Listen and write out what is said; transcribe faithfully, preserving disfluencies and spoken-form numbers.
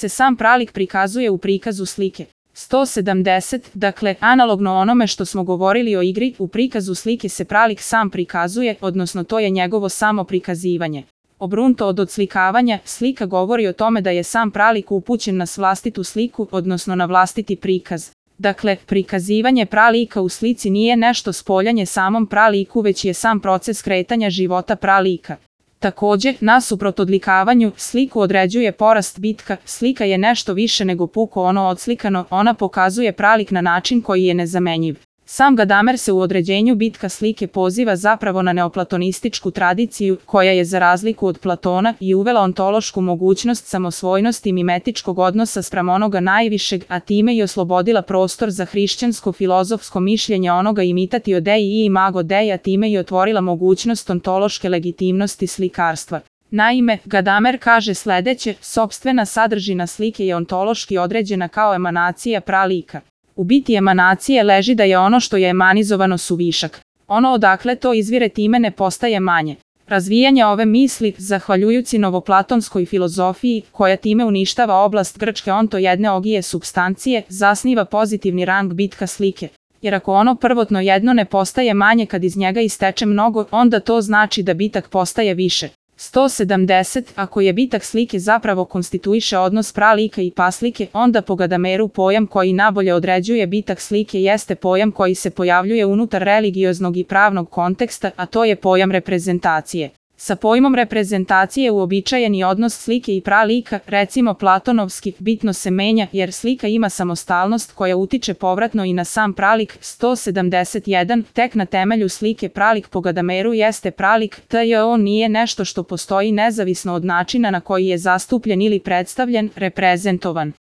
se sam pralik prikazuje u prikazu slike. sto sedamdeset, dakle, analogno onome što smo govorili o igri, u prikazu slike se pralik sam prikazuje, odnosno to je njegovo samo prikazivanje. Obrnuto od odslikavanja, slika govori o tome da je sam pralik upućen na vlastitu sliku, odnosno na vlastiti prikaz. Dakle, prikazivanje pralika u slici nije nešto spoljanje samom praliku, već je sam proces kretanja života pralika. Takođe, nasuprot odlikavanju, sliku određuje porast bitka, slika je nešto više nego puko ono odslikano, ona pokazuje pralik na način koji je nezamenjiv. Sam Gadamer se u određenju bitka slike poziva zapravo na neoplatonističku tradiciju, koja je za razliku od Platona i uvela ontološku mogućnost samosvojnosti mimetičkog odnosa spram onoga najvišeg, a time i oslobodila prostor za hrišćansko filozofsko mišljenje onoga imitatio dei i imago dei, a time i otvorila mogućnost ontološke legitimnosti slikarstva. Naime, Gadamer kaže sledeće: sopstvena sadržina slike je ontološki određena kao emanacija pralika. U biti emanacije leži da je ono što je emanizovano suvišak. Ono odakle to izvire time ne postaje manje. Razvijanje ove misli, zahvaljujući novoplatonskoj filozofiji, koja time uništava oblast grčke ontojedne ogije supstancije, zasniva pozitivni rang bitka slike. Jer ako ono prvotno jedno ne postaje manje kad iz njega isteče mnogo, onda to znači da bitak postaje više. sto sedamdeset. Ako je bitak slike zapravo konstituiše odnos pralika i paslike, onda po Gadameru pojam koji nabolje određuje bitak slike jeste pojam koji se pojavljuje unutar religioznog i pravnog konteksta, a to je pojam reprezentacije. Sa pojmom reprezentacije uobičajeni odnos slike i pralika, recimo platonovski, bitno se menja jer slika ima samostalnost koja utiče povratno i na sam pralik. sto sedamdeset jedan. Tek na temelju slike pralik po Gadameru jeste pralik, te on nije nešto što postoji nezavisno od načina na koji je zastupljen ili predstavljen, reprezentovan.